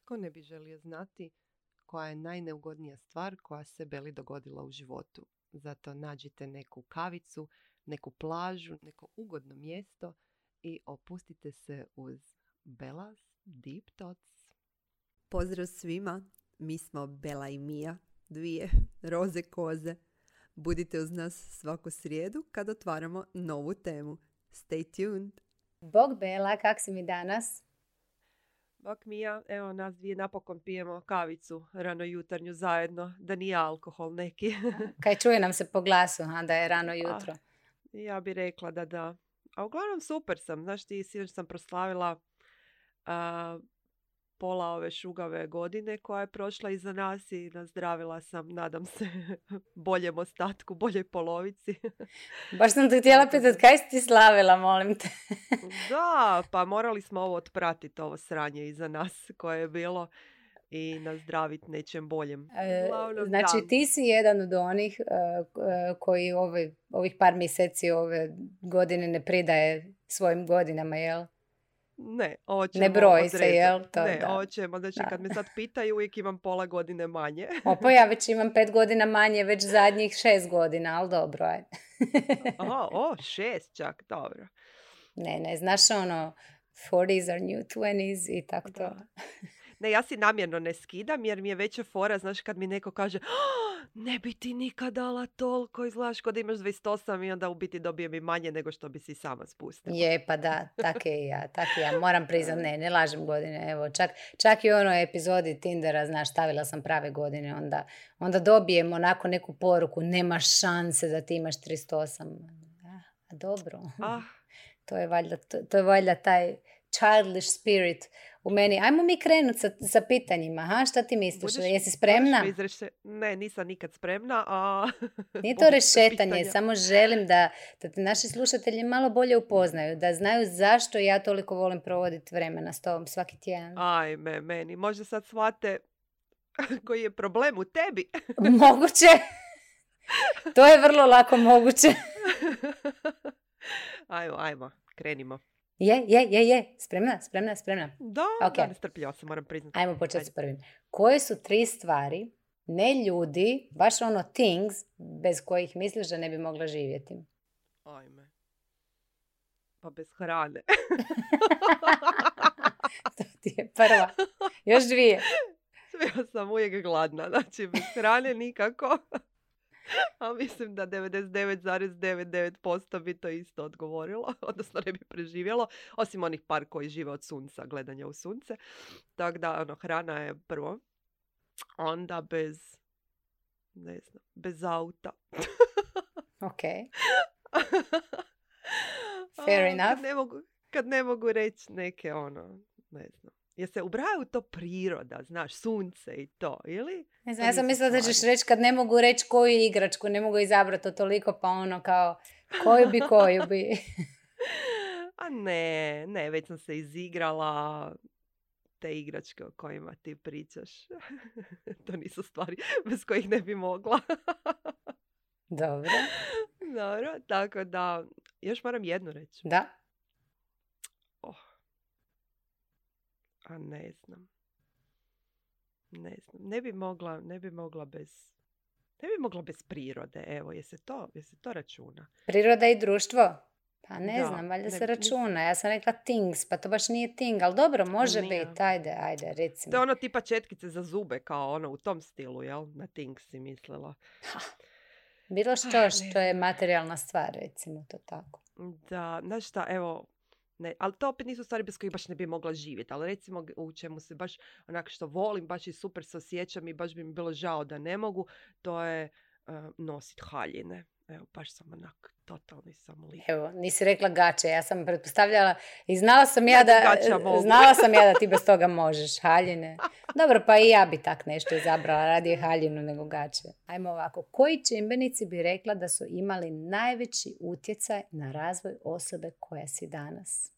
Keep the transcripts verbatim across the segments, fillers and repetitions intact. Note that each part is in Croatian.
Tko ne bi želio znati koja je najneugodnija stvar koja se Beli dogodila u životu? Zato nađite neku kavicu, neku plažu, neko ugodno mjesto i opustite se uz Bella's Deep Thoughts. Pozdrav svima, mi smo Bela i Mija, dvije roze koze. Budite uz nas svaku srijedu kad otvaramo novu temu. Stay tuned! Bog Bela, kak si mi danas? Bok Mija, evo nas dvije napokon pijemo kavicu rano jutarnju zajedno, da nije alkohol neki. Kaj čuje nam se po glasu, a da je rano jutro. A, ja bi rekla da da. A uglavnom super sam. Znaš ti, sinoć sam proslavila a, pola ove šugave godine koja je prošla iza nas i nazdravila sam, nadam se, boljem ostatku, boljoj polovici. Baš sam te htjela pitati, kaj si ti slavila, molim te? Da, pa morali smo ovo otpratiti, ovo sranje iza nas koje je bilo i nazdraviti nečem boljem. Uglavnom, znači da. Ti si jedan od onih uh, koji ove, ovih par mjeseci ove godine ne pridaje svojim godinama, jel? Ne, ovo ćemo ne broji odrediti. Se, jel? To, ne, da. ovo ćemo. Znači, da. Kad me sad pitaju, uvijek imam pola godine manje. Opa, ja već imam pet godina manje, već zadnjih šest godina, ali dobro, ajde. Aha, o, šest čak, dobro. Ne, ne, znaš ono, forties are new twenties i tako to. Ne, ja si namjerno ne skidam jer mi je veća fora, znaš, kad mi neko kaže oh, ne bi ti nikad dala toliko, izgledaš kod imaš dvadeset osam i onda u biti dobijem i manje nego što bi si sama spustila. Je, pa da, tak je i ja, tak je ja. Moram priznat, ne, ne lažem godine. Evo, čak, čak i u onoj epizodi Tindera, znaš, stavila sam prave godine, onda, onda dobijem onako neku poruku, nema šanse da ti imaš trideset osam. A dobro. Ah. To je valjda, to, to je valjda taj childish spirit u meni. Ajmo mi krenuti sa, sa pitanjima. Ha? Šta ti misliš? Budeš, Jesi spremna? Izreše... Ne, nisam nikad spremna. A... Nije to rešetanje. Samo želim da, da te naši slušatelji malo bolje upoznaju. Da znaju zašto ja toliko volim provoditi vremena s tobom svaki tjedan. Ajme, meni. Možda sad shvate koji je problem u tebi. Moguće. To je vrlo lako moguće. Ajmo, ajmo. Krenimo. Je, je, je, je. Spremna, spremna, spremna. Da, okay. Da, nestrpljiva sam, moram priznati. Ajmo početi s prvim. Koje su tri stvari, ne ljudi, baš ono things, bez kojih misliš da ne bi mogla živjeti? Ajme. Pa bez hrane. To ti je prva. Još dvije. Ja sam uvijek gladna, znači bez hrane nikako. A mislim da devedeset devet zarez devedeset devet posto bi to isto odgovorilo, odnosno ne bi preživjelo, osim onih par koji žive od sunca, gledanja u sunce. Tako da, ono, hrana je prvo. Onda bez, ne znam, bez auta. Ok. Fair A, enough. Kad ne mogu, kad ne mogu reći neke, ono, ne znam. Jer se ubrajaju to priroda, znaš, sunce i to, ili? Ne znam, ja sam mislila da ćeš reći kad ne mogu reći koju igračku, ne mogu izabrati to toliko, pa ono kao, koju bi, koju bi. A ne, ne, već sam se izigrala te igračke o kojima ti pričaš. To nisu stvari bez kojih ne bi mogla. Dobro. Dobro, tako da, još moram jednu reći. Da. Oh. A ne znam. Ne znam. Ne bi mogla, ne bi mogla bez... Ne bi mogla bez prirode, evo, je se to, je se to računa. Priroda i društvo? Pa ne da, znam, valjda ne, se računa. Ja sam rekla things, pa to baš nije thing, ali dobro, može biti, ajde, ajde, recimo. To je ono tipa četkice za zube, kao ono u tom stilu, jel? Na things si mislila. Ha. Bilo što što je materijalna stvar, recimo to tako. Da, znaš šta, evo, ne, ali to opet nisu stvari bez kojih baš ne bi mogla živjeti, ali recimo u čemu se baš onako što volim, baš i super se osjećam i baš bi mi bilo žao da ne mogu, to je uh, nositi haljine. Evo, baš sam onak, totalni sam lik. Evo, nisi rekla gače, ja sam pretpostavljala i znala sam ja da, znala sam ja da ti bez toga možeš, haljine. Dobro, pa i ja bi tak nešto izabrala, radije haljinu nego gače. Ajmo ovako, koji čimbenici bi rekla da su imali najveći utjecaj na razvoj osobe koja si danas?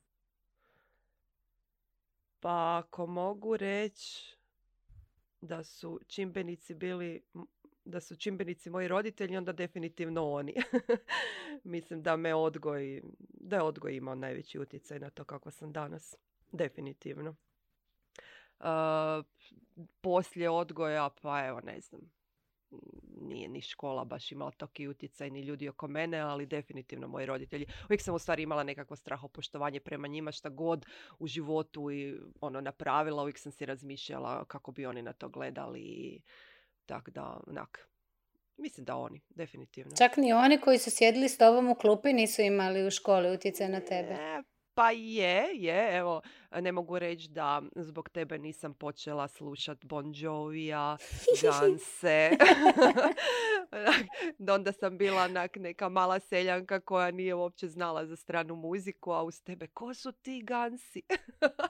Pa ako mogu reći da su čimbenici bili... da su čimbenici moji roditelji, onda definitivno oni. Mislim da me odgoj, da je odgoj imao najveći utjecaj na to kako sam danas. Definitivno. Uh, poslije odgoja, pa evo ne znam, nije ni škola baš imala toki utjecaj, ni ljudi oko mene, ali definitivno moji roditelji. Uvijek sam u stvari imala nekakvo strahopoštovanje prema njima, šta god u životu i ono napravila, uvijek sam si razmišljala kako bi oni na to gledali. Tako da, onak, mislim da oni, definitivno. Čak ni oni koji su sjedili s tobom u klupi nisu imali u školi utjecaj na tebe? E, pa je, je, evo, ne mogu reći da zbog tebe nisam počela slušat Bon Jovija, Ganse. Onda sam bila onak neka mala seljanka koja nije uopće znala za stranu muziku, a uz tebe, ko su ti Gansi?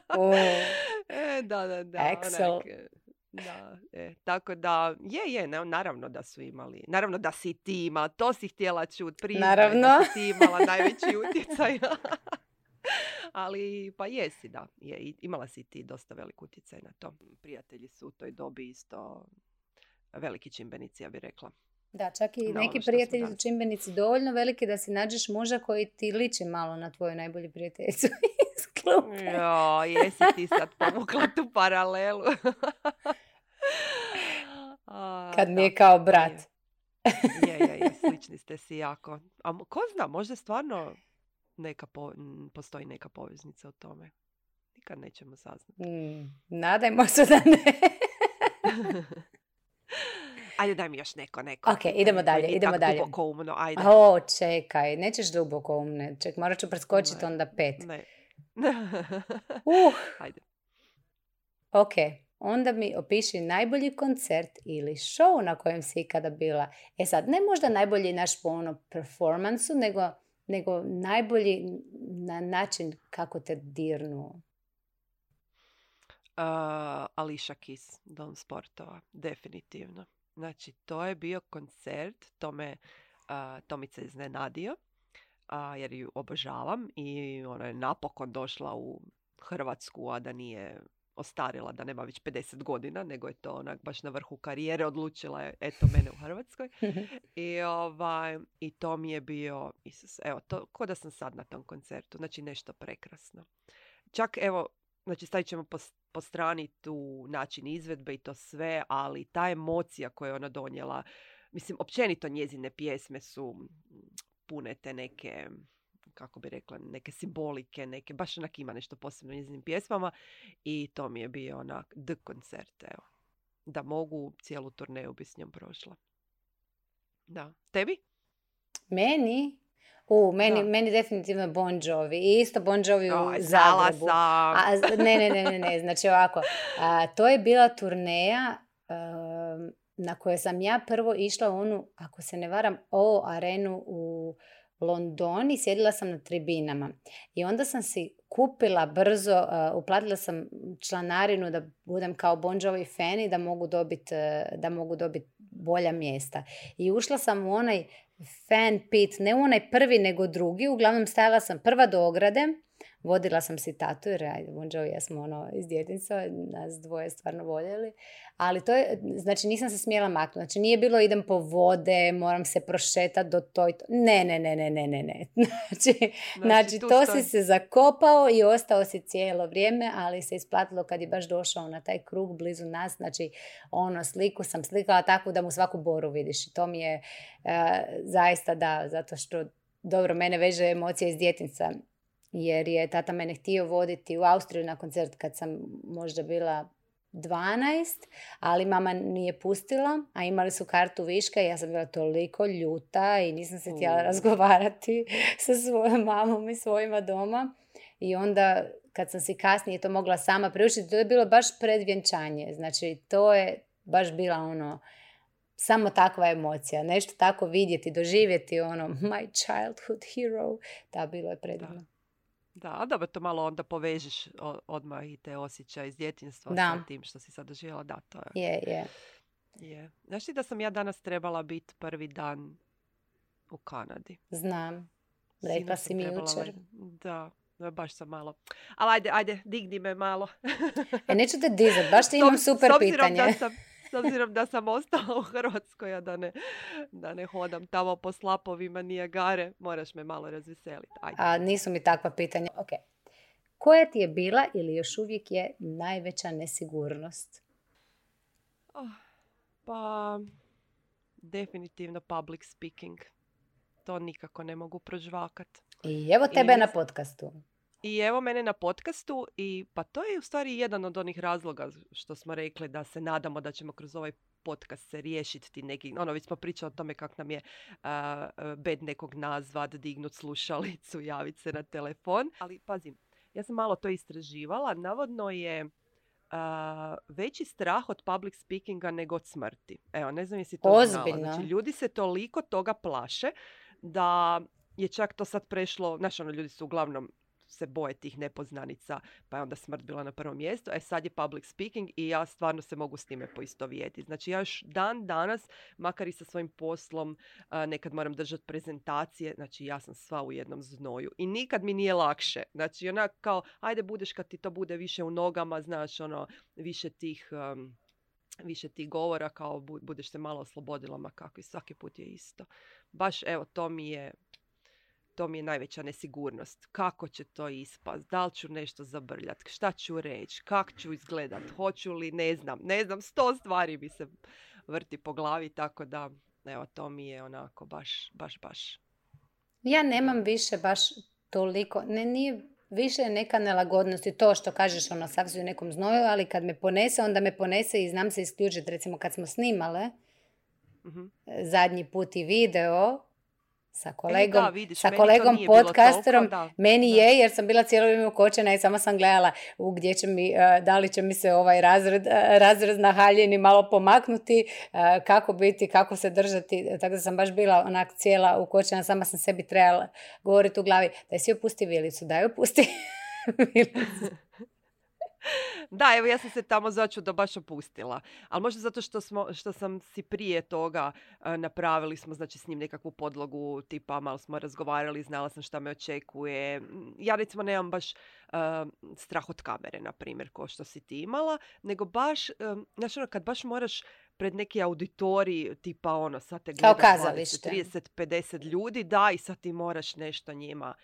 Oh. e, da, da, da. Excel. Onak, da, e, tako da, je, je, ne, naravno da su imali, naravno da si ti imala, to si htjela čut, priznaj Naravno. da si ti imala najveći utjecaj. Ali, pa jesi, da, je, imala si ti dosta velik utjecaj na to. Prijatelji su u toj dobi isto veliki čimbenici, ja bih rekla. Da, čak i Na neki ono što prijatelji su su čimbenici dovoljno veliki da si nađeš muža koji ti liči malo na tvoju najbolju prijateljicu iz klupe. Jo, jesi ti sad povukla tu paralelu. A, Kad mi da, je kao brat. Je, je, je, slični ste si jako. A mo- ko zna, možda stvarno neka po, m, postoji neka poveznica u tome. Nikad nećemo saznati. Mm, nadajmo se da ne. Ajde, daj mi još neko, neko. Ok, idemo dalje, Nije idemo tak dalje. duboko umno, ajde. O, čekaj, nećeš duboko umne. Ček, morat ću preskočiti Ne. onda pet. Ne. Uh, Ajde. ok, onda mi opiši najbolji koncert ili show na kojem si ikada bila. E sad, ne možda najbolji naš po ono performansu, nego, nego najbolji na način kako te dirnu. Uh, Alicia Keys, Dom sportova, definitivno. Znači, to je bio koncert, to me uh, Tomica iznenadio, uh, jer ju obožavam i ona je napokon došla u Hrvatsku, a da nije ostarila, da nema već pedeset godina, nego je to onak baš na vrhu karijere, odlučila je, eto, mene u Hrvatskoj. I, ovaj, I to mi je bio, Isus, evo, to, ko da sam sad na tom koncertu, znači nešto prekrasno. Čak, evo, znači stavit ćemo po, po strani tu način izvedbe i to sve, ali ta emocija koju je ona donijela, mislim, općenito njezine pjesme su pune te neke, kako bi rekla, neke simbolike, neke, baš onak ima nešto posebno u njezinim pjesmama i to mi je bio onak the koncert, evo. Da mogu, cijelu turneju bi s njom prošla. Da. Tebi? Meni? U, meni, Da. meni definitivno Bon Jovi. I isto Bon Jovi u Oj, znala Zagrebu. sam. A, z- ne, ne, ne, ne, ne, znači ovako. A, to je bila turneja um, na kojoj sam ja prvo išla u onu, ako se ne varam, O arenu u Londoni, sjedila sam na tribinama. I onda sam si kupila brzo, uh, uplatila sam članarinu da budem kao Bon Jovi fan i da mogu dobiti uh, da mogu dobit bolja mjesta. I ušla sam u onaj fan pit, ne u onaj prvi nego drugi, uglavnom stajala sam prva do ograde, vodila sam si tatu jer ajde, Bon Jovi, ja smo ono iz djetinjstva, nas dvoje stvarno voljeli, ali to je, znači nisam se smjela maknuti, znači nije bilo idem po vode, moram se prošetati do to i to, ne, ne, ne, ne, ne, ne, ne. Znači, znači tu to stoji. si se zakopao i ostao si cijelo vrijeme, ali se isplatilo kad je baš došao na taj krug blizu nas, znači ono sliku sam slikala tako da mu svaku boru vidiš i to mi je uh, zaista da, zato što dobro, mene veže emocija iz djetinjstva, jer je tata mene htio voditi u Austriju na koncert kad sam možda bila dvanaest, ali mama nije pustila, a imali su kartu viška i ja sam bila toliko ljuta i nisam se htjela U. razgovarati sa svojom mamom i svojima doma. I onda kad sam si kasnije to mogla sama priuštiti, to je bilo baš pred vjenčanje. Znači to je baš bila ono samo takva emocija. Nešto tako vidjeti, doživjeti ono my childhood hero. Da, bilo je predivno. Da, a dobro, to malo onda povežeš o- odmah i te osjećaje iz djetinjstva Da. sa tim što si sad doživjela. Da, to je. Je, je. je. Znaš ti da sam ja danas trebala biti prvi dan u Kanadi? Znam. Rekla Sinoć sam si mi trebala jučer. let- Da, da, baš sam malo. Ali ajde, ajde, digni me malo. E, neću te dizat, baš ti S imam ob- super s obzirom pitanje. Da sam, s obzirom da sam ostala u Hrvatskoj, a da ne, da ne hodam tamo po slapovima Nijagare, moraš me malo razveseliti. Ajde. A nisu mi takva pitanja. Ok. Koja ti je bila ili još uvijek je najveća nesigurnost? Oh, pa definitivno public speaking. To nikako ne mogu prožvakat. I evo tebe I na podcastu. I evo mene na podcastu i pa to je u stvari jedan od onih razloga što smo rekli da se nadamo da ćemo kroz ovaj podcast se riješiti ti neki, ono već smo pričali o tome kako nam je uh, bed nekog nazvat, dignut slušalicu, javiti se na telefon. Ali pazim, ja sam malo to istraživala, navodno je uh, veći strah od public speakinga nego od smrti. Evo, ne znam jesi to Ozbiljno. znala. Znači, ljudi se toliko toga plaše da je čak to sad prešlo, znaš ono, ljudi su uglavnom se boje tih nepoznanica, pa je onda smrt bila na prvom mjestu. E sad je public speaking i ja stvarno se mogu s time poistovjetiti. Znači ja još dan danas, makar i sa svojim poslom, a, nekad moram držati prezentacije, znači ja sam sva u jednom znoju. I nikad mi nije lakše. Znači onak kao, ajde budeš kad ti to bude više u nogama, znaš ono, više tih... Um, više tih govora, kao budeš se malo oslobodila, ma kako i svaki put je isto. Baš evo, to mi je To mi je najveća nesigurnost. Kako će to ispast? Da li ću nešto zabrljat? Šta ću reći? Kako ću izgledat? Hoću li? Ne znam. Ne znam. Sto stvari mi se vrti po glavi. Tako da, evo, to mi je onako baš, baš, baš. Ja nemam više baš toliko. Ne, nije više neka nelagodnost i to što kažeš, ono, sav si u nekom znoju, ali kad me ponese, onda me ponese i znam se isključiti. Recimo, kad smo snimale uh-huh. zadnji put i video, sa kolegom, e, da, vidiš, sa kolegom podcasterom, toliko, meni da. je, jer sam bila cijelo vrijeme ukočena i samo sam gledala u gdje će mi, uh, da li će mi se ovaj razred, uh, razrez na haljini malo pomaknuti, uh, kako biti, kako se držati, tako da sam baš bila onak cijela ukočena, sama sam sebi trebala govoriti u glavi, daj si opusti vilicu, daj opusti vilicu. Da, evo ja sam se tamo začudo baš opustila. Ali možda zato što, smo, što sam si prije toga uh, napravili smo znači s njim nekakvu podlogu tipa malo smo razgovarali, znala sam šta me očekuje. Ja recimo nemam baš uh, strah od kamere, na primjer, ko što si ti imala, nego baš, um, znači ono kad baš moraš pred neki auditorij, tipa ono, sad te gleda dvadeset, trideset, pedeset ljudi, da, i sad ti moraš nešto njima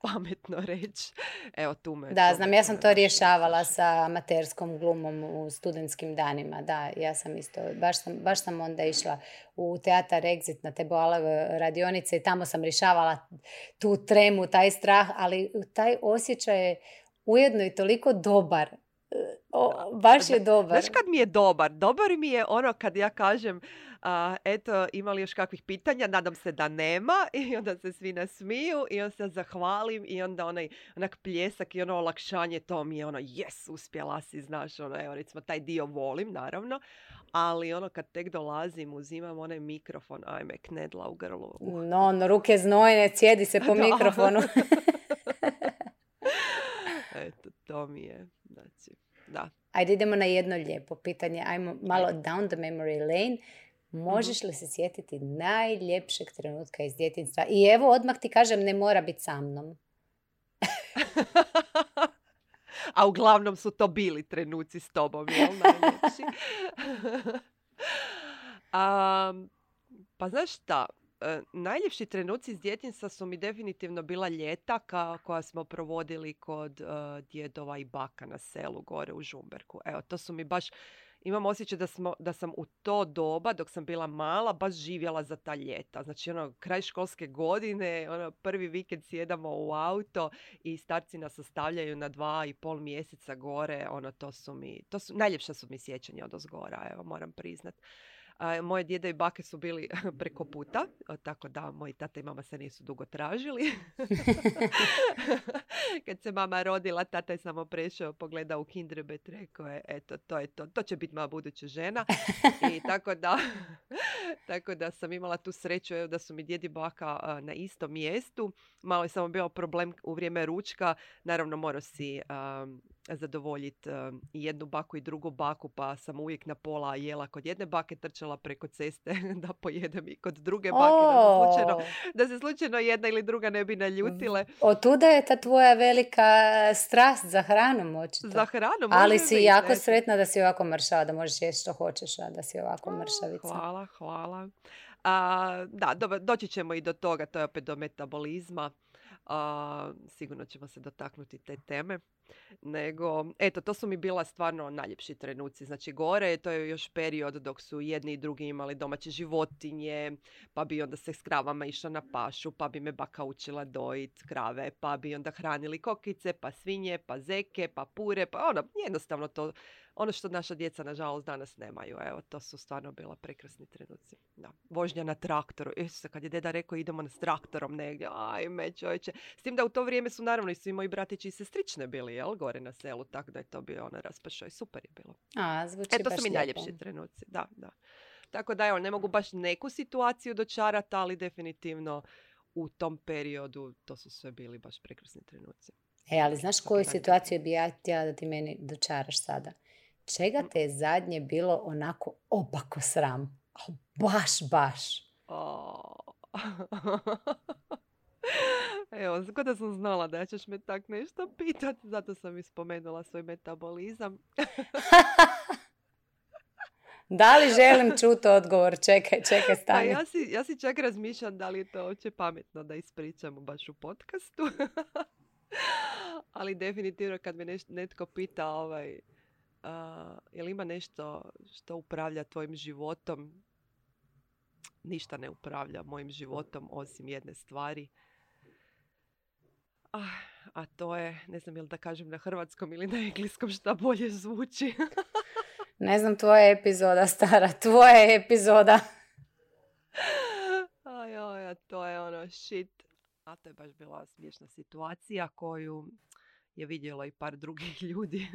pametno reći. Evo tu me... Da, znam, ja sam to rješavala sa amaterskom glumom u studentskim danima. Da, ja sam isto, baš sam, baš sam onda išla u teatar Exit na te boalave radionice i tamo sam rješavala tu tremu, taj strah, ali taj osjećaj je ujedno i toliko dobar. O, baš je dobar. Znaš kad mi je dobar? Dobar mi je ono kad ja kažem a, eto, ima li još kakvih pitanja? Nadam se da nema. I onda se svi nasmiju i onda se zahvalim i onda onaj onak pljesak i ono olakšanje, to mi je ono yes, uspjela si, znaš, ono, evo recimo taj dio volim, naravno, ali ono kad tek dolazim, uzimam onaj mikrofon, ajme, knedla u grlu. Uh. No, no, ruke znojne, cijedi se po mikrofonu. Eto, to mi je, znači, da. Ajde, idemo na jedno lijepo pitanje. Ajmo malo down the memory lane. Možeš li se sjetiti najljepšeg trenutka iz djetinjstva? I evo, odmah ti kažem, ne mora biti sa mnom. A uglavnom su to bili trenuci s tobom, jel? Najljepši. um, pa znaš šta? Uh, najljepši trenuci iz djetinjstva su mi definitivno bila ljeta ka, koja smo provodili kod uh, djedova i baka na selu gore u Žumberku. Evo, to su mi baš, imam osjećaj da, smo, da sam u to doba, dok sam bila mala, baš živjela za ta ljeta. Znači, ono, kraj školske godine, ono, prvi vikend sjedamo u auto i starci nas ostavljaju na dva i pol mjeseca gore. Ono, to su mi, to su, najljepša su mi sjećanja od ozgora, evo, moram priznat. A, moje djede i bake su bili preko puta, tako da moji tata i mama se nisu dugo tražili. Kad se mama rodila, tata je samo prešao, pogledao u Kinderbet, rekao je, eto, to je to, to će biti moja buduća žena. I tako da, tako da sam imala tu sreću, evo, da su mi djedi i baka a, na istom mjestu. Malo je samo bio problem u vrijeme ručka, naravno morao si... A, zadovoljiti um, i jednu baku i drugu baku, pa sam uvijek na pola jela kod jedne bake, trčala preko ceste da pojedem i kod druge bake, oh. da, se slučajno, da se slučajno jedna ili druga ne bi naljutile. Otuda je ta tvoja velika strast za hranom, očito. Za hranom, ali si biti, jako eto. Sretna da si ovako mršava, da možeš jesti što hoćeš, a da si ovako mršavica. Hvala, hvala. A, da, do, doći ćemo i do toga, to je opet do metabolizma. A, sigurno ćemo se dotaknuti te teme. nego, eto, to su mi bila stvarno najljepši trenuci. Znači, gore, to je još period dok su jedni i drugi imali domaće životinje, pa bi onda se s kravama išla na pašu, pa bi me baka učila dojit krave, pa bi onda hranili kokice, pa svinje, pa zeke, pa pure, pa ono, jednostavno to, ono što naša djeca, nažalost, danas nemaju. Evo, to su stvarno bila prekrasni trenuci. Da. Vožnja na traktoru. Isuse, kad je deda rekao idemo s traktorom negdje, ajme čovječe. S tim da u to vrijeme su naravno i svi moji bratići i sestrične bili, jel, gore na selu, tako da je to bio ono raspašao i super je bilo. A, zvuči e, to baš su mi lijepo. najljepši trenuci, da, da. Tako da, evo, ne mogu baš neku situaciju dočarati, ali definitivno u tom periodu to su sve bili baš prekrasni trenuci. E, ali znaš koju situaciju bi ja htjela da ti meni dočaraš sada? Čega te je zadnje bilo onako opako sram? Oh, baš, baš. Oh. Evo, kod da sam znala da ćeš me tak nešto pitati, zato sam i spomenula svoj metabolizam. Da li želim čuti odgovor? Čekaj, čekaj, stani. Ja si, ja si čak razmišljam da li je to uopće pametno da ispričamo baš u podcastu. Ali definitivno kad me neš, netko pita ovaj, uh, je li ima nešto što upravlja tvojim životom, ništa ne upravlja mojim životom osim jedne stvari. Ah, a to je, ne znam je li da kažem na hrvatskom ili na engleskom, šta bolje zvuči. Ne znam, tvoja epizoda, stara, tvoja epizoda. Aj, aj, to je ono shit. A to je baš bila smiješna situacija koju je vidjelo i par drugih ljudi.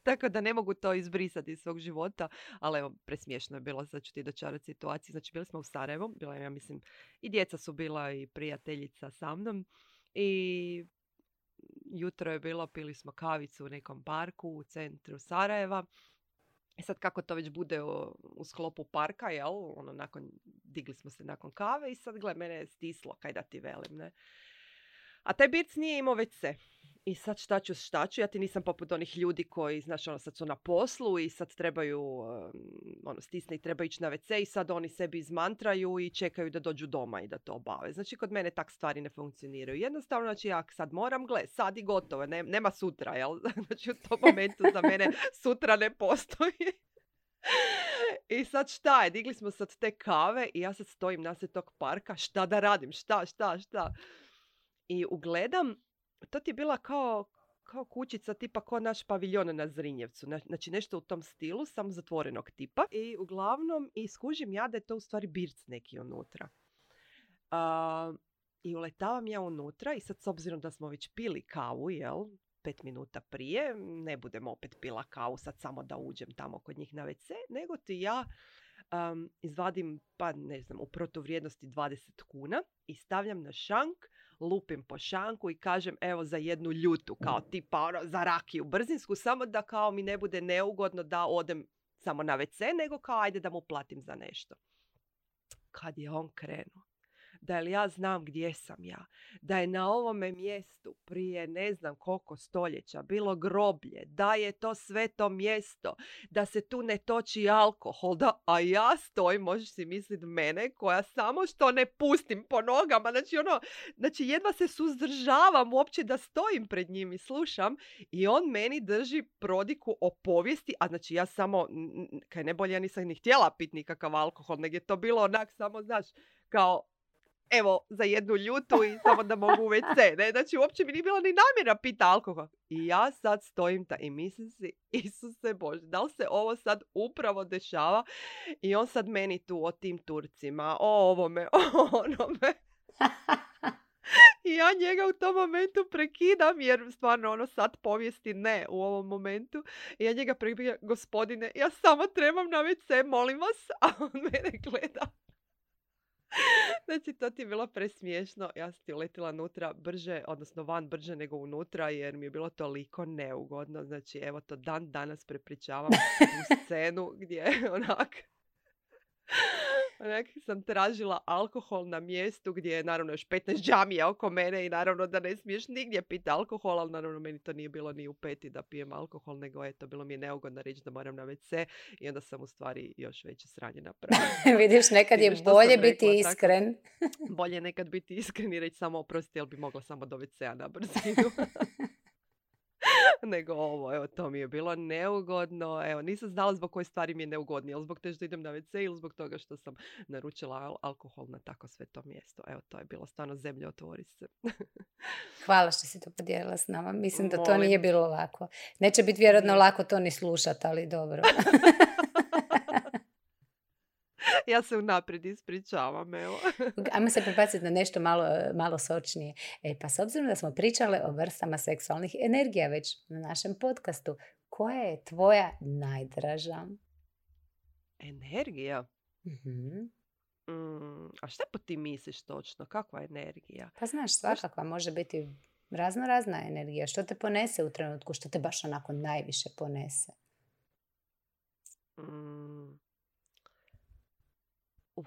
Tako da ne mogu to izbrisati iz svog života. Ali evo, presmiješno je bilo, sad ću ti dočarati situaciju. Znači, bili smo u Sarajevu. Bila, ja mislim, i djeca su bila i prijateljica sa mnom. I jutro je bilo, pili smo kavicu u nekom parku u centru Sarajeva. I sad kako to već bude u, u sklopu parka, jel? Ono, nakon, digli smo se nakon kave i sad, gle, mene je stislo, kaj da ti velim, ne? A taj birc nije imao ve ce. I sad šta ću, šta ću, ja ti nisam poput onih ljudi koji, znaš, ono, sad su na poslu i sad trebaju, um, ono, stisne i treba ići na ve ce i sad oni sebi izmantraju i čekaju da dođu doma i da to obave. Znači, kod mene tak stvari ne funkcioniraju. Jednostavno, znači, ja sad moram, gle, sad i gotovo, ne, nema sutra, jel? Znači, u tom momentu za mene sutra ne postoji. I sad šta je, digli smo sad te kave i ja sad stojim nasred tog parka, šta da radim, šta, šta, šta. I ugledam, to ti je bila kao, kao kućica tipa kao naš paviljon na Zrinjevcu. Znači nešto u tom stilu, samo zatvorenog tipa. I uglavnom, i skužim ja da je to u stvari birc neki unutra. Uh, I uletavam ja unutra i sad s obzirom da smo već pili kavu, jel, pet minuta prije, ne budem opet pila kavu sad samo da uđem tamo kod njih na ve ce, nego ti ja um, izvadim, pa ne znam, u protuvrijednosti dvadeset kuna i stavljam na šank, lupim po šanku i kažem evo za jednu ljutu, kao tipa ono, za rakiju brzinsku, samo da kao mi ne bude neugodno da odem samo na ve ce, nego kao ajde da mu platim za nešto. Kad je on krenuo, da li ja znam gdje sam ja, da je na ovome mjestu prije ne znam koliko stoljeća bilo groblje, da je to sveto mjesto, da se tu ne toči alkohol, da, a ja stojim, možeš si misliti mene, koja samo što ne pustim po nogama, znači ono, znači jedva se suzdržavam uopće da stojim pred njim i slušam i on meni drži prodiku o povijesti, a znači ja samo, kaj ne bolje, ja nisam ni htjela pit nikakav alkohol, nego je to bilo onak samo, znaš, kao evo, za jednu ljutu i samo da mogu u ve ce. Ne? Znači, uopće mi nije bilo ni namjera pita alkohol. I ja sad stojim ta i mislim si, Isuse Bože, da li se ovo sad upravo dešava? I on sad meni tu o tim Turcima, o ovome, o onome. I ja njega u tom momentu prekidam, jer stvarno ono sad povijesti ne u ovom momentu. I ja njega prekidam, gospodine, ja samo trebam na ve ce, molim vas. A on mene gleda. Znači, to ti je bilo presmiješno. Ja sam ti uletila unutra brže, odnosno van brže nego unutra, jer mi je bilo toliko neugodno. Znači, evo to dan danas prepričavam tu scenu gdje onak... Onak sam tražila alkohol na mjestu gdje je naravno još petnaest džamija oko mene i naravno da ne smiješ nigdje piti alkohol, ali naravno meni to nije bilo ni u peti da pijem alkohol, nego eto, bilo mi je neugodno reći da moram na ve ce i onda sam u stvari još veće sranje napravila. Vidiš, nekad je bolje biti rekla, iskren. Tako, bolje nekad biti iskren i reći samo oprosti, jer bi mogla samo do ve cea na brzinu. nego ovo. Evo, to mi je bilo neugodno. Evo, nisam znala zbog koje stvari mi je neugodnije. Ili zbog te što idem na ve ce ili zbog toga što sam naručila al- alkohol na tako sve to mjesto. Evo, to je bilo stvarno zemlje otvori se. Hvala što si to podijelila s nama. Mislim da to Molim. nije bilo lako. Neće biti vjerojatno Nije. lako to ni slušati, ali dobro. Ja se unaprijed ispričavam, evo. Ajmo se prebaciti na nešto malo, malo sočnije. E, pa s obzirom da smo pričale o vrstama seksualnih energija već na našem podcastu, koja je tvoja najdraža? Energija? Mhm. Mm, a šta po ti misliš točno? Kakva je energija? Pa znaš, svakakva može biti razno razna energija. Što te ponese u trenutku? Što te baš onako najviše ponese? Mm. Uh,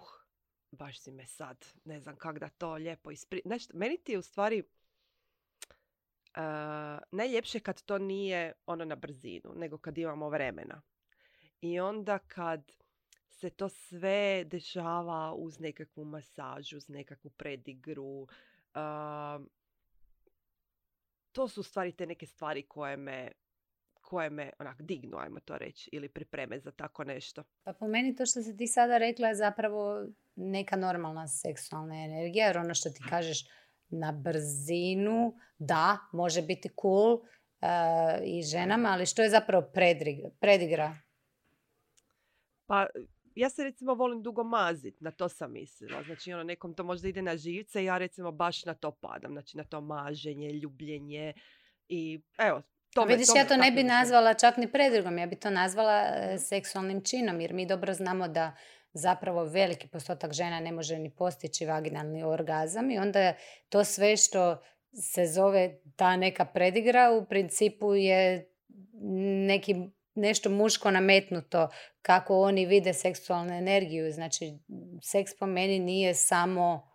baš si me sad, ne znam kak da to lijepo ispri... Nešto, meni ti je u stvari uh, najljepše kad to nije ono na brzinu, nego kad imamo vremena. I onda kad se to sve dešava uz nekakvu masažu, uz nekakvu predigru, uh, to su u stvari te neke stvari koje me koje me onak dignu, ajmo to reći, ili pripreme za tako nešto. Pa po meni to što si ti sada rekla je zapravo neka normalna seksualna energija, jer ono što ti kažeš na brzinu, da, može biti cool uh, i ženama, ali što je zapravo predigra? predigra? Pa ja se recimo volim dugo mazit, na to sam mislila. Znači ono nekom to možda ide na živce i ja recimo baš na to padam. Znači na to maženje, ljubljenje i evo, tome, Vidiš, tome, ja to ne tako bi mislim. nazvala čak ni predigom, ja bi to nazvala e, seksualnim činom, jer mi dobro znamo da zapravo veliki postotak žena ne može ni postići vaginalni orgazam i onda to sve što se zove ta neka predigra u principu je neki, nešto muško nametnuto kako oni vide seksualnu energiju. Znači, seks po meni nije samo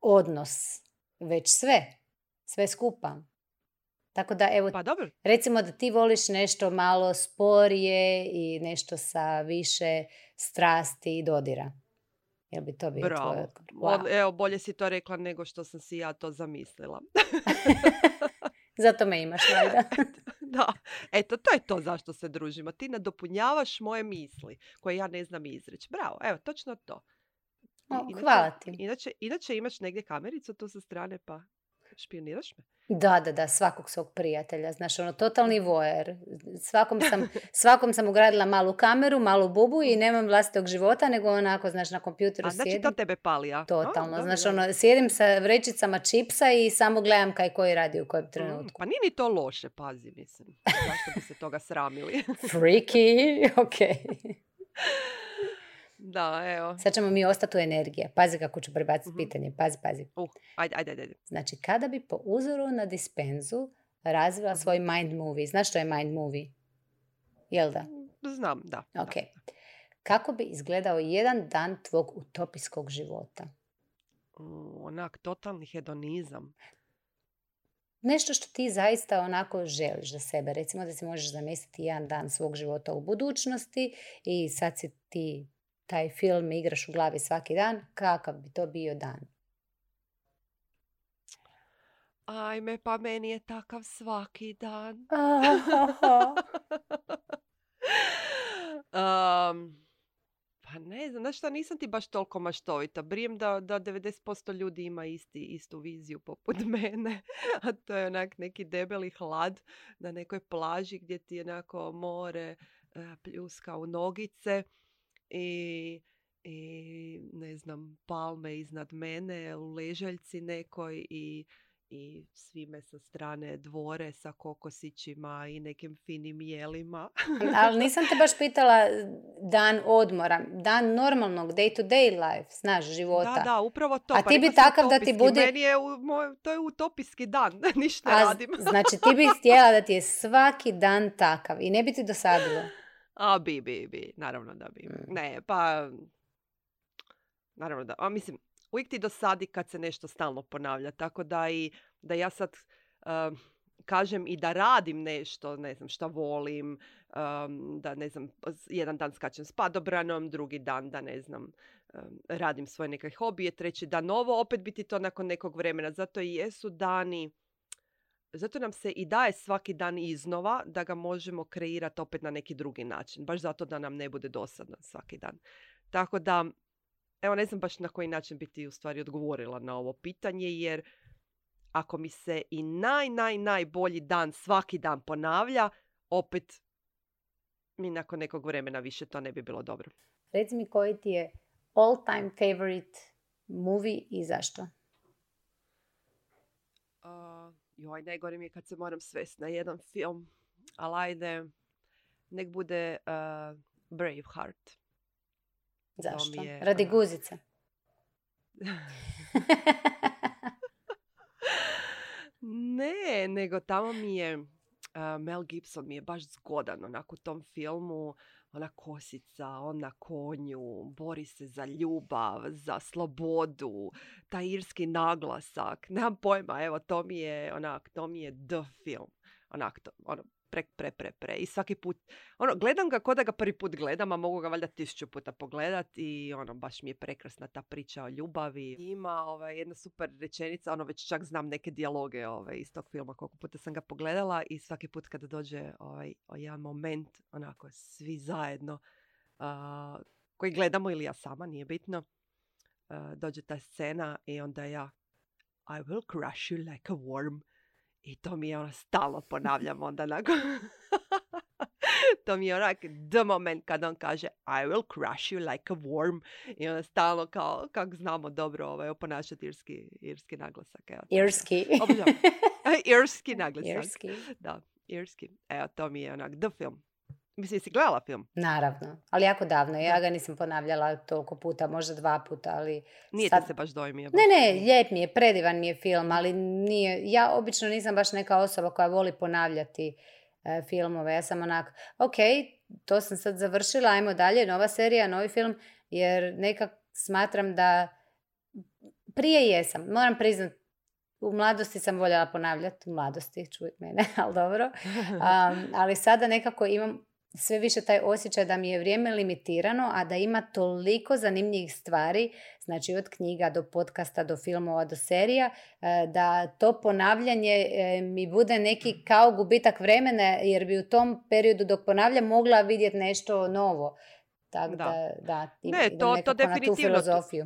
odnos, već sve, sve skupa. Tako da, evo, Pa dobro. recimo da ti voliš nešto malo sporije i nešto sa više strasti i dodira. Jel bi to bio tvoj Bravo. odgovor? Wow. Od- Evo, bolje si to rekla nego što sam si ja to zamislila. Zato me imaš, valjda. Da, eto, to je to zašto se družimo. Ti nadopunjavaš moje misli koje ja ne znam izreći. Bravo, evo, točno to. I- O, inače- hvala ti. Inače, inače imaš negdje kamericu tu sa strane pa špioniraš me? Da, da, da, svakog svog prijatelja. Znaš, ono, totalni voer. Svakom sam, svakom sam ugradila malu kameru, malu bubu i nemam vlastitog života, nego onako, znaš, na kompjuteru A znači sjedim. to tebe pali, a? Totalno. A, Znaš, dobro, ono, sjedim sa vrećicama čipsa i samo gledam kaj koji radi u kojem dobro. Mm, trenutku. Pa nije ni to loše, pazi, mislim. Zašto bi se toga sramili? Freaky, ok. Da, evo. Sad ćemo mi ostati u energije. Pazi kako ću prebaciti Mhm. pitanje. Pazi, pazi. Uh, ajde, ajde, ajde. Znači, kada bi po uzoru na dispenzu razvila svoj mind movie. Znaš što je mind movie? Jel da? Znam, da. Ok. Da. Kako bi izgledao jedan dan tvog utopijskog života? Uh, onak, totalni hedonizam. Nešto što ti zaista onako želiš za sebe. Recimo da si možeš zamisliti jedan dan svog života u budućnosti i sad si ti taj film igraš u glavi svaki dan. Kakav bi to bio dan? Ajme, pa meni je takav svaki dan. um, pa ne znam, znaš šta, nisam ti baš toliko maštovita. Brijem da, da devedeset posto ljudi ima isti, istu viziju poput mene. A to je onak neki debeli hlad na nekoj plaži gdje ti onako more uh, pljuska u nogice i, i ne znam, palme iznad mene u ležaljci nekoj i i svi me sa strane dvore sa kokosićima i nekim finim jelima. Ali nisam te baš pitala dan odmora, dan normalnog day to day life, znaš, života. Da, da, upravo to. A Pa ti bi rekla sam takav da ti utopijski. bude- Meni je, u, moj, to je utopijski dan, ništa ne A, radim. znači ti bi htjela da ti je svaki dan takav i ne bi ti dosadilo. A bi, bi, bi, naravno da bi. Mm. Ne, pa, naravno da, a mislim, uvijek ti dosadi kad se nešto stalno ponavlja, tako da i da ja sad um, kažem i da radim nešto, ne znam šta volim, um, da ne znam, jedan dan skačem s padobranom, drugi dan da ne znam, um, radim svoje neke hobije, treći dan ovo, opet biti to nakon nekog vremena. Zato i jesu dani zato nam se i daje svaki dan iznova da ga možemo kreirati opet na neki drugi način. Baš zato da nam ne bude dosadno svaki dan. Tako da, evo ne znam baš na koji način bi ti u stvari odgovorila na ovo pitanje, jer ako mi se i naj, naj, najbolji dan svaki dan ponavlja, opet mi nakon nekog vremena više to ne bi bilo dobro. Reci mi koji ti je all time favorite movie i zašto? Uh, joj, najgore mi je kad se moram svesti na jedan film, ali ajde, nek bude uh, Braveheart. Zašto? Je, Radi uh, guzice. Ne, nego tamo mi je uh, Mel Gibson mi je baš zgodan onako u tom filmu, ona kosica, on na konju, bori se za ljubav, za slobodu, taj irski naglasak, nemam pojma, evo to mi je onak, to mi je the film, onak to, ono, pre, pre, pre, pre. I svaki put, ono, gledam ga ko da ga prvi put gledam, a mogu ga valjda tisuću puta pogledat i ono, baš mi je prekrasna ta priča o ljubavi. Ima ovaj, jedna super rečenica, ono, već čak znam neke dijaloge ovaj, iz tog filma, koliko puta sam ga pogledala i svaki put kada dođe ovaj, o jedan moment, onako, svi zajedno, uh, koji gledamo ili ja sama, nije bitno, uh, dođe ta scena i onda ja I will crush you like a worm. I to mi je ono stalno ponavljam onda nakon. To mi je onak the moment kad on kaže I will crush you like a worm. I onda stalno kao, kako znamo dobro ovaj, oponašati irski, irski naglasak. Evo, irski. Irski naglasak. Irski. Da, irski. Evo, to mi je onak the film. Mislim, jesi gledala film? Naravno, ali jako davno. Ja ga nisam ponavljala toliko puta, možda dva puta, ali... Nije sad... te se baš dojmio? Ne, ne, lijep mi je, predivan mi je film, ali nije... Ja obično nisam baš neka osoba koja voli ponavljati e, filmove. Ja sam onak, ok, to sam sad završila, ajmo dalje, nova serija, novi film, jer nekak smatram da... Prije jesam, moram priznati, u mladosti sam voljela ponavljati, u mladosti, čuj mene, ali dobro. Um, ali sada nekako imam sve više taj osjećaj da mi je vrijeme limitirano, a da ima toliko zanimljivih stvari, znači od knjiga do podcasta, do filmova, do serija, da to ponavljanje mi bude neki kao gubitak vremena, jer bi u tom periodu dok ponavljam mogla vidjeti nešto novo. Tako da, da, da ne, to, to definitivno. Na tu filozofiju.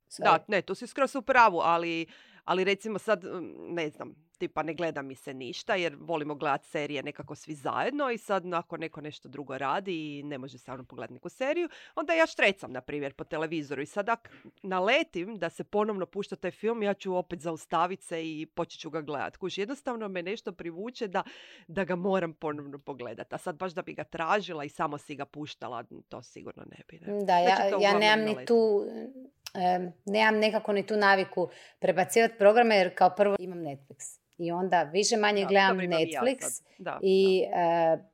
Sorry. Da, ne, tu si skroz u pravu, ali, ali recimo sad, ne znam, tipa ne gleda mi se ništa jer volimo gledati serije nekako svi zajedno i sad ako neko nešto drugo radi i ne može se ono pogledati neku seriju, onda ja štrecam, na primjer, po televizoru i sad ako naletim da se ponovno pušta taj film, ja ću opet zaustaviti se i počet ću ga gledati. Kuš, jednostavno me nešto privuče da, da ga moram ponovno pogledati. A sad baš da bi ga tražila i samo si ga puštala, to sigurno ne bi. Ne? Da, ja, ja nemam ni tu... Um, nemam nekako ni tu naviku prebacivati programe jer kao prvo imam Netflix i onda više manje da, gledam Netflix ja da, i da. Uh,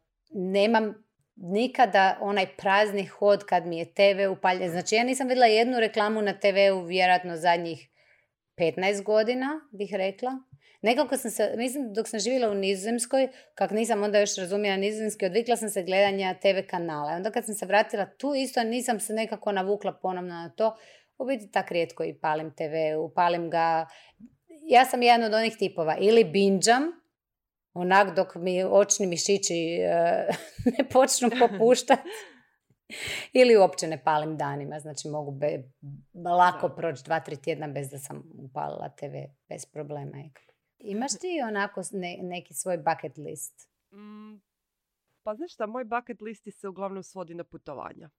nemam nikada onaj prazni hod kad mi je te ve upaljen. Znači ja nisam vidjela jednu reklamu na te veu vjerojatno zadnjih petnaest godina bih rekla. Nekako sam se, mislim dok sam živjela u Nizozemskoj, kak nisam onda još razumjela nizozemski, odvikla sam se gledanja te ve kanala. Onda kad sam se vratila tu isto nisam se nekako navukla ponovno na to. U biti tak rijetko i palim te ve, upalim ga. Ja sam jedan od onih tipova. Ili binđam, onak dok mi očni mišići uh, ne počnu popuštati. Ili uopće ne palim danima. Znači mogu be, lako proći dva, tri tjedna bez da sam upalila te ve, bez problema. Imaš ti onako ne, neki svoj bucket list? Mm, pa znaš šta, moj bucket listi se uglavnom svodi na putovanja.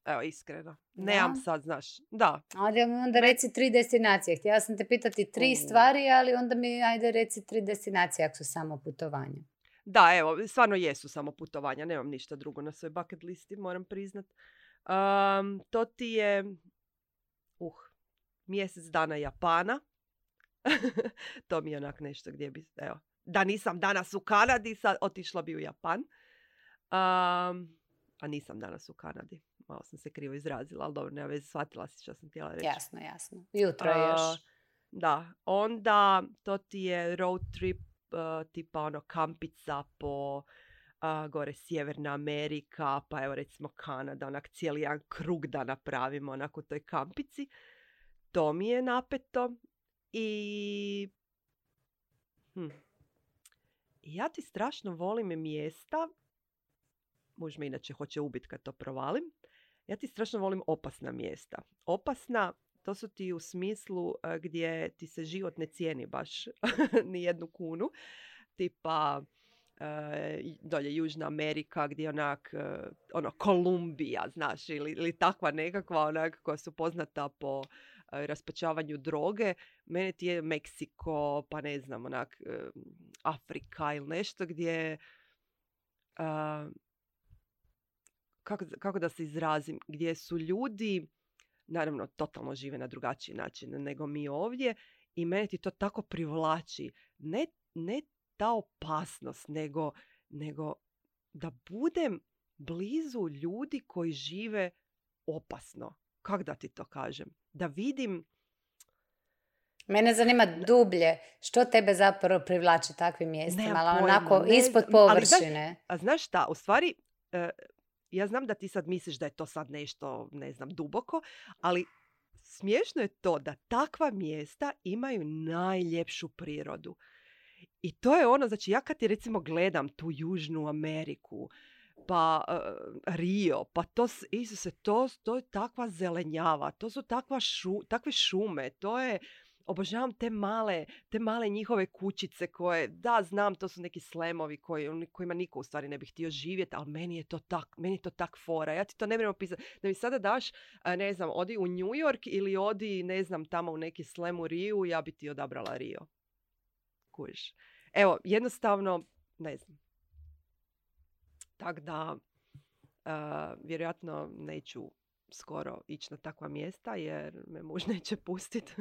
Evo, iskreno. Nemam sad, znaš. Da. Ali onda reci tri destinacije. Htjela sam te pitati tri mm. stvari, ali onda mi ajde reci tri destinacije ako su samo putovanja. Da, evo, stvarno jesu samo putovanja. Nemam ništa drugo na svoj bucket listi, moram priznat. Um, to ti je uh, mjesec dana Japana. To mi je onak nešto gdje bi, evo, da nisam danas u Kanadi, sad otišla bi u Japan. Um, a nisam danas u Kanadi. Malo sam se krivo izrazila, ali dobro, nema veze, shvatila si što sam htjela reći. Jasno, jasno. Jutro je još. Uh, da, onda to ti je road trip, uh, tipa ono kampica po uh, gore Sjeverna Amerika, pa evo recimo Kanada, onak cijeli jedan krug da napravimo onak u toj kampici. To mi je napeto. I... Hm. ja ti strašno volim mjesta, muž me inače hoće ubiti kad to provalim, ja ti strašno volim opasna mjesta. Opasna, to su ti u smislu uh, gdje ti se život ne cijeni baš ni jednu kunu. Tipa uh, dolje Južna Amerika gdje onak, uh, ono, Kolumbija, znaš, ili, ili takva nekakva onak koja su poznata po uh, raspačavanju droge. Mene ti je Meksiko, pa ne znam, onak, uh, Afrika ili nešto gdje... Uh, Kako, kako da se izrazim, gdje su ljudi, naravno, totalno žive na drugačiji način nego mi ovdje i mene ti to tako privlači. Ne, ne ta opasnost, nego, nego da budem blizu ljudi koji žive opasno. Kako da ti to kažem? Da vidim... Mene zanima dublje. Što tebe zapravo privlači takvim mjestima? Ali onako ne, ispod površine. Ali, a znaš šta? U stvari... Uh, Ja znam da ti sad misliš da je to sad nešto, ne znam, duboko, ali smiješno je to da takva mjesta imaju najljepšu prirodu. I to je ono, znači ja kad ti recimo gledam tu Južnu Ameriku, pa uh, Rio, pa to, Isuse, to, to je takva zelenjava, to su takva šu, takve šume, to je... Obožavam te male, te male njihove kućice koje, da, znam, to su neki slemovi koji, kojima niko u stvari ne bi htio živjeti, ali meni je to tak, meni je to tak fora. Ja ti to ne moram opisati. Da mi sada daš, ne znam, odi u New York ili odi, ne znam, tamo u neki slem u Riju, ja bi ti odabrala Rio. Kužiš. Evo, jednostavno, ne znam. Tak da, uh, vjerojatno neću skoro ići na takva mjesta jer me muž neće pustiti.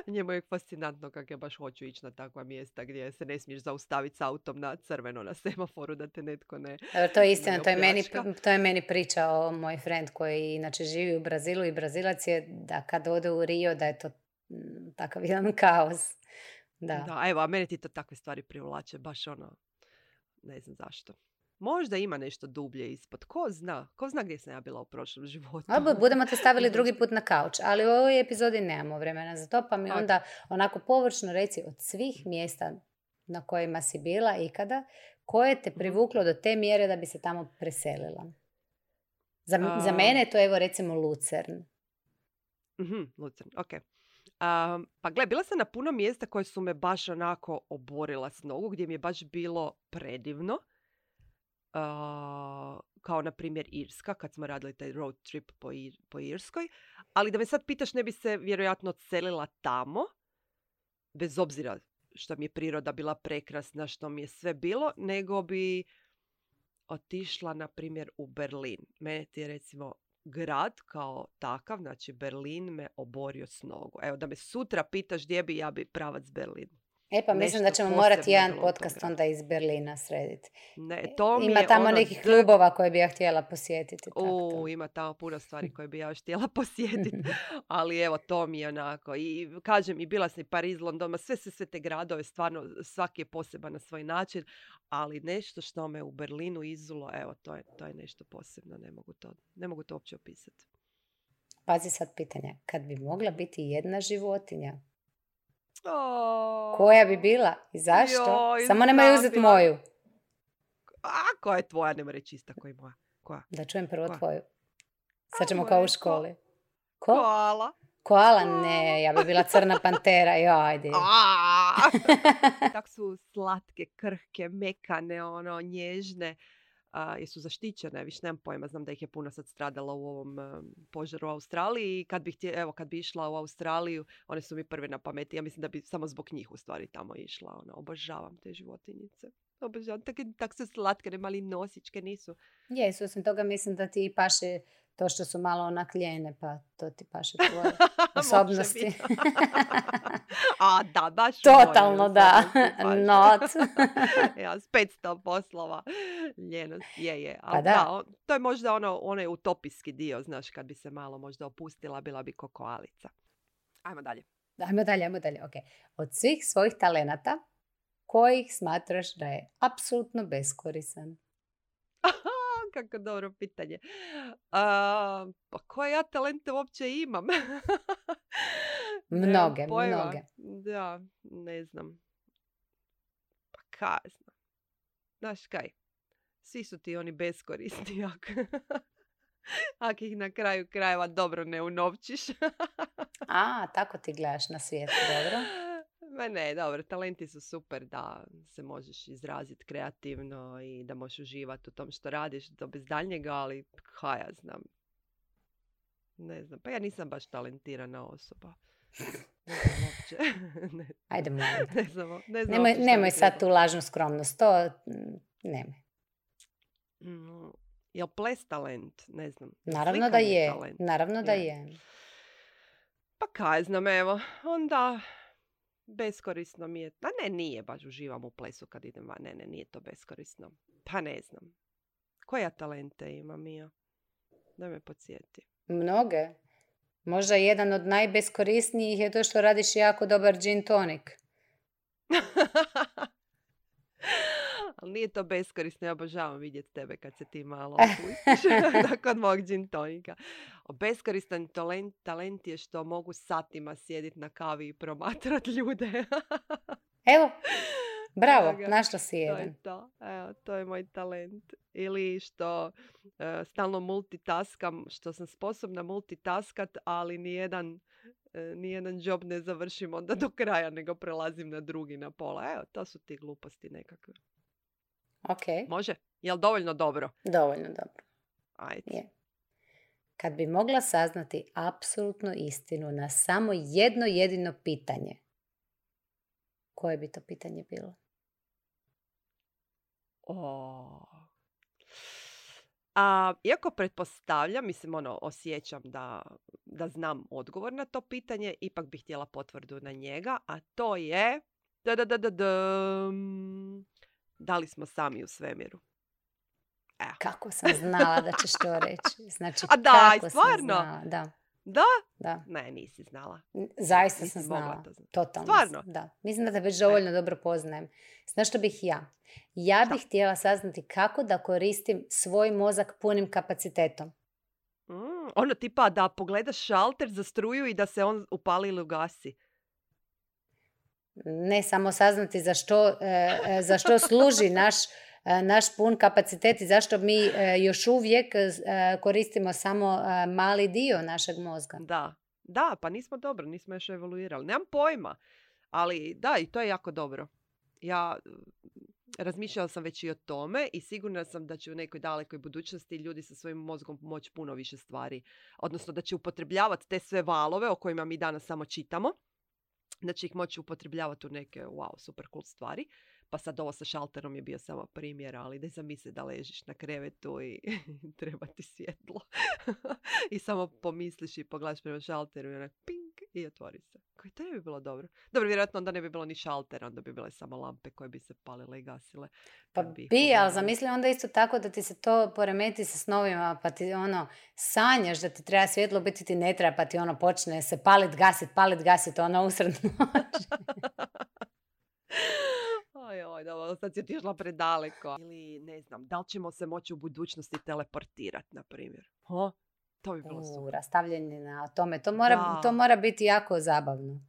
Njemu je fascinantno kako ja baš hoću ići na takva mjesta gdje se ne smiješ zaustaviti s autom na crveno na semaforu da te netko ne... Dobro, to je istina, to je, meni, to je meni pričao moj friend koji inače živi u Brazilu i Brazilac je da kad ode u Rio da je to takav jedan kaos. Da, da, evo, a mene ti to takve stvari privlače, baš ono, ne znam zašto. Možda ima nešto dublje ispod. Ko zna? Ko zna gdje sam ja bila u prošlom životu? A, budemo te stavili drugi put na kauč, ali u ovoj epizodi nemamo vremena za to, pa mi onda onako površno reci od svih mjesta na kojima si bila ikada, koje te privuklo do te mjere da bi se tamo preselila? Za, uh, za mene je to evo recimo Lucern. Uh-huh, Lucern, ok. Um, pa gle, bila sam na puno mjesta koje su me baš onako oborila s nogu, gdje mi je baš bilo predivno. Uh, kao na primjer Irska, kad smo radili taj road trip po, Ir- po Irskoj. Ali da me sad pitaš, ne bi se vjerojatno odselila tamo, bez obzira što mi je priroda bila prekrasna, što mi je sve bilo, nego bi otišla na primjer u Berlin. Mene ti je recimo grad kao takav, znači Berlin me oborio s nogu. Evo, da me sutra pitaš gdje bi, ja bi pravac Berlin. E pa mislim da ćemo morati jedan podcast onda iz Berlina srediti. Ne, to mi ima je tamo ono nekih d... klubova koje bi ja htjela posjetiti. U, ima tamo puno stvari koje bi ja još htjela posjetiti. Ali evo, to mi je onako. I kažem, i bila sam i Pariz, London, sve se sve te gradove, stvarno svaki je poseban na svoj način. Ali nešto što me u Berlinu izulo, evo, to je, to je nešto posebno. Ne mogu to, ne mogu to uopće opisati. Pazi sad pitanje. Kad bi mogla biti jedna životinja, Oh, koja bi bila i zašto? Joj, Samo nemoj uzeti moju. A, koja je tvoja? Nema reći ista koja je moja. Koja? Da čujem prvo koja? tvoju. Sad ćemo A, kao u ko... školi. Ko? Koala. Koala? Ne, ja bi bila crna pantera. Jo, ajde. Tak su slatke, krhke, mekane, ono, nježne. Uh, jesu zaštićene, više nemam pojma, znam da ih je puno sad stradalo u ovom um, požaru u Australiji i kad bi, htje, evo, kad bi išla u Australiju, one su mi prve na pameti, ja mislim da bi samo zbog njih u stvari tamo išla, ono, obožavam te životinjice, obožavam, tak, tak su slatke, ne mali nosičke nisu. Jesu, osim toga mislim da ti paše to što su malo onak ljene, pa to ti paše tvoje osobnosti. A da, baš totalno da, not. Ja, s petsto poslova ljenost, je, je. Pa da. da, to je možda ono, onaj utopijski dio, znaš, kad bi se malo možda opustila, bila bi ko koalica. Ajmo dalje. Ajmo dalje, ajmo dalje, ok. Od svih svojih talenata, kojih smatraš da je apsolutno beskoristan? Kako dobro pitanje. A, pa koje ja talente uopće imam? Mnoge, mnoge. Da, ne znam. Pa kaj znam. Znaš kaj, svi su ti oni beskorisni ako, ako ih na kraju krajeva dobro ne unovčiš. A, tako ti gledaš na svijet, dobro. Ma ne, dobro, talenti su super da se možeš izraziti kreativno i da možeš uživati u tom što radiš, to bez daljnjega, ali ha, ja znam. Ne znam, pa ja nisam baš talentirana osoba. Ne znam uopće. ne, Ajde, molim. Ne znam, ne znam Nemoj, uopće šta nemoj bi sad tu trebalo. lažnu skromnost, to mm, nemoj. Mm, jel ples talent? Ne znam. Jel Naravno da slikanje je, talent? naravno da Je. je. Pa kaj znam, evo, onda beskorisno mi je. A ne, nije baš uživam u plesu kad idem van. Ne, ne, nije to beskorisno. Pa ne znam. Koja talente ima Mija? Da me podsjeti. Mnoge. Možda jedan od najbeskorisnijih je to što radiš jako dobar gin tonic. Ali nije to beskorisno, ja obožavam vidjeti tebe kad se ti malo opustiš kod mog gin tonika. Beskoristan talent, talent je što mogu satima sjediti na kavi i promatrati ljude. Evo, bravo, Evo ga, našla si to je jedan. to. Evo, to je moj talent. Ili što uh, stalno multitaskam, što sam sposobna multitaskat, ali nijedan, uh, nijedan job ne završim onda do kraja, nego prelazim na drugi na pola. Evo, to su ti gluposti nekakve. Ok, Može? Jel dovoljno dobro? dovoljno dobro. Ajde. Je. Kad bi mogla saznati apsolutnu istinu na samo jedno jedino pitanje, koje bi to pitanje bilo? O. A, iako pretpostavljam, mislim, ono, osjećam da, da znam odgovor na to pitanje, ipak bih htjela potvrdu na njega, a to je da, da, da, da, da, da li smo sami u svemiru? Evo. Kako sam znala da ćeš to reći? Znači, A daj, kako stvarno? sam znala? Da, Da? da. Ne, nisi znala. Zaista Nisi sam mogla znala. to znati. Totalno. Stvarno? Da. Mislim da te već dovoljno dobro poznajem. Znaš što bih ja? Ja bih Šta? htjela saznati kako da koristim svoj mozak punim kapacitetom. Mm, ono tipa da pogledaš šalter za struju i da se on upali ili ugasi. Ne samo saznati za što, e, e, za što služi naš, e, naš pun kapacitet i zašto mi e, još uvijek e, koristimo samo e, mali dio našeg mozga. Da, da, pa nismo dobro, nismo još evoluirali. Nemam pojma, ali da, i to je jako dobro. Ja razmišljala sam već i o tome i sigurna sam da će u nekoj dalekoj budućnosti ljudi sa svojim mozgom moći puno više stvari. Odnosno da će upotrebljavati te sve valove o kojima mi danas samo čitamo. Da će ih moći upotrebljavati u neke, wow, super cool stvari. Pa sad ovo sa šalterom je bio samo primjer, ali da zamisli da ležiš na krevetu i treba ti svjetlo. I samo pomisliš i pogledaš prema šalteru i onak ping i otvori se. Koji to ne bi bilo dobro? Dobro, vjerojatno onda ne bi bilo ni šaltera, onda bi bile samo lampe koje bi se palile i gasile. Pa kad bi ih bi, ali pogledali. zamisli onda isto tako da ti se to poremeti sa snovima, pa ti ono sanjaš da ti treba svjetlo, biti ti ne treba, pa ti ono počne se palit, gasit, palit, gasit, ono usred noći. Oj, oj, dobro, sad si otišla predaleko. Ili, ne znam, da li ćemo se moći u budućnosti teleportirati, na primjer? Ha? To bi bilo U, super. rastavljanje na tome, to mora, Da. to mora biti jako zabavno.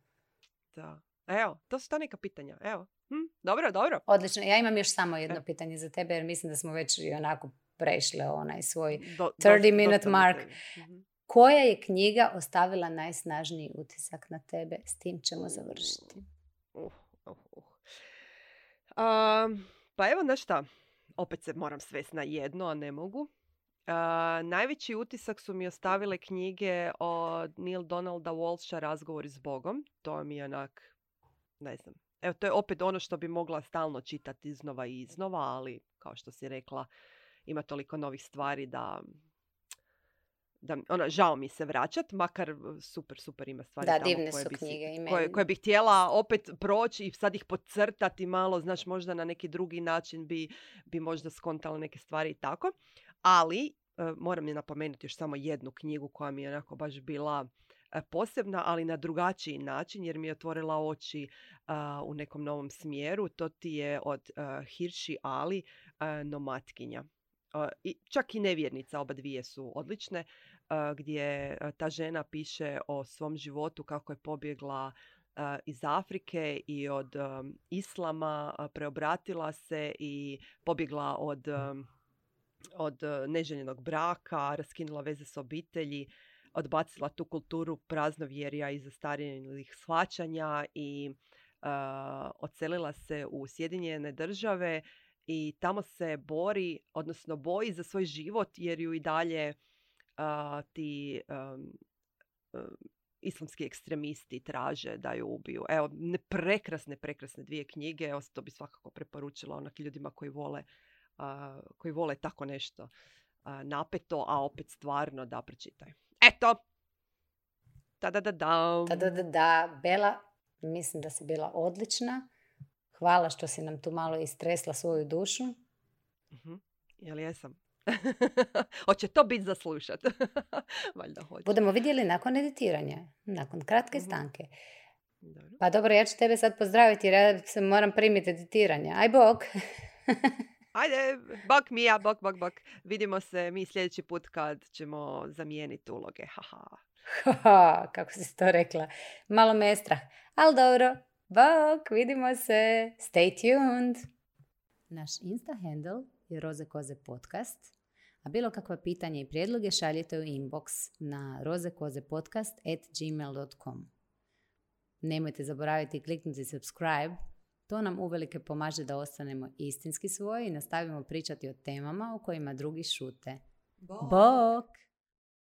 Da. Evo, to su ta neka pitanja. Evo. Hm? Dobro, dobro. Odlično, ja imam još samo jedno E. pitanje za tebe, jer mislim da smo već i onako prešle onaj svoj Do, thirty dosta- minute dosta mi mark. tebe. Mhm. Koja je knjiga ostavila najsnažniji utisak na tebe? S tim ćemo završiti. Uh, uh, uh. Um, pa evo, znaš šta, opet se moram svesti na jedno, a ne mogu. Uh, najveći utisak su mi ostavile knjige od Neil Donalda Walsha Razgovori s Bogom. To mi je onak, ne znam. Evo, to je opet ono što bi mogla stalno čitati iznova i iznova, ali kao što si rekla, ima toliko novih stvari da... da ono, žao mi se vraćat, makar super, super ima stvari Da, tamo divne koje su bi si- knjige i koje, meni. koje bih htjela opet proći i sad ih podcrtati malo, znaš, možda na neki drugi način bi, bi možda skontala neke stvari i tako. Ali, e, moram je napomenuti još samo jednu knjigu koja mi je onako baš bila e, posebna, ali na drugačiji način, jer mi je otvorila oči a, u nekom novom smjeru. To ti je od uh, Hirši Ali, a, Nomatkinja. A, i, čak i nevjernica, oba dvije su odlične, a, gdje a, ta žena piše o svom životu, kako je pobjegla iz Afrike i od um, islama uh, preobratila se i pobjegla od, um, od uh, neželjenog braka, raskinula veze s obitelji, odbacila tu kulturu praznovjerja i zastarjelih shvaćanja i uh, odselila se u Sjedinjene države i tamo se bori, odnosno boji za svoj život jer ju i dalje uh, ti um, um, islamski ekstremisti traže da ju ubiju. Evo, ne, prekrasne, prekrasne dvije knjige. Evo, to bi svakako preporučila onak ljudima koji vole, uh, koji vole tako nešto uh, napeto, a opet stvarno da pročitaju. Eto! Ta-da-da-dam! Ta-da-da-da! Bela, mislim da si bila odlična. Hvala što si nam tu malo istresla svoju dušu. Uh-huh. Jel jesam? Hoće to biti za slušat. Valjda hoće. Budemo vidjeli nakon editiranja, nakon kratke uh-huh. stanke. Dobro. Pa dobro, ja ću tebe sad pozdraviti jer ja se moram primiti editiranja. Aj bok! Ajde, bok Mija, bok, bok, bok. Vidimo se mi sljedeći put kad ćemo zamijeniti uloge. Haha. Haha, kako si to rekla. Malo me je strah. Ali dobro, bok, vidimo se. Stay tuned. Naš Insta handle je Roze Koze podcast, a bilo kakva pitanja i prijedloge šaljite u inbox na rozekozepodcast at gmail dot com. Nemojte zaboraviti kliknuti subscribe, to nam uvelike pomaže da ostanemo istinski svoji i nastavimo pričati o temama o kojima drugi šute. Bok! Bok.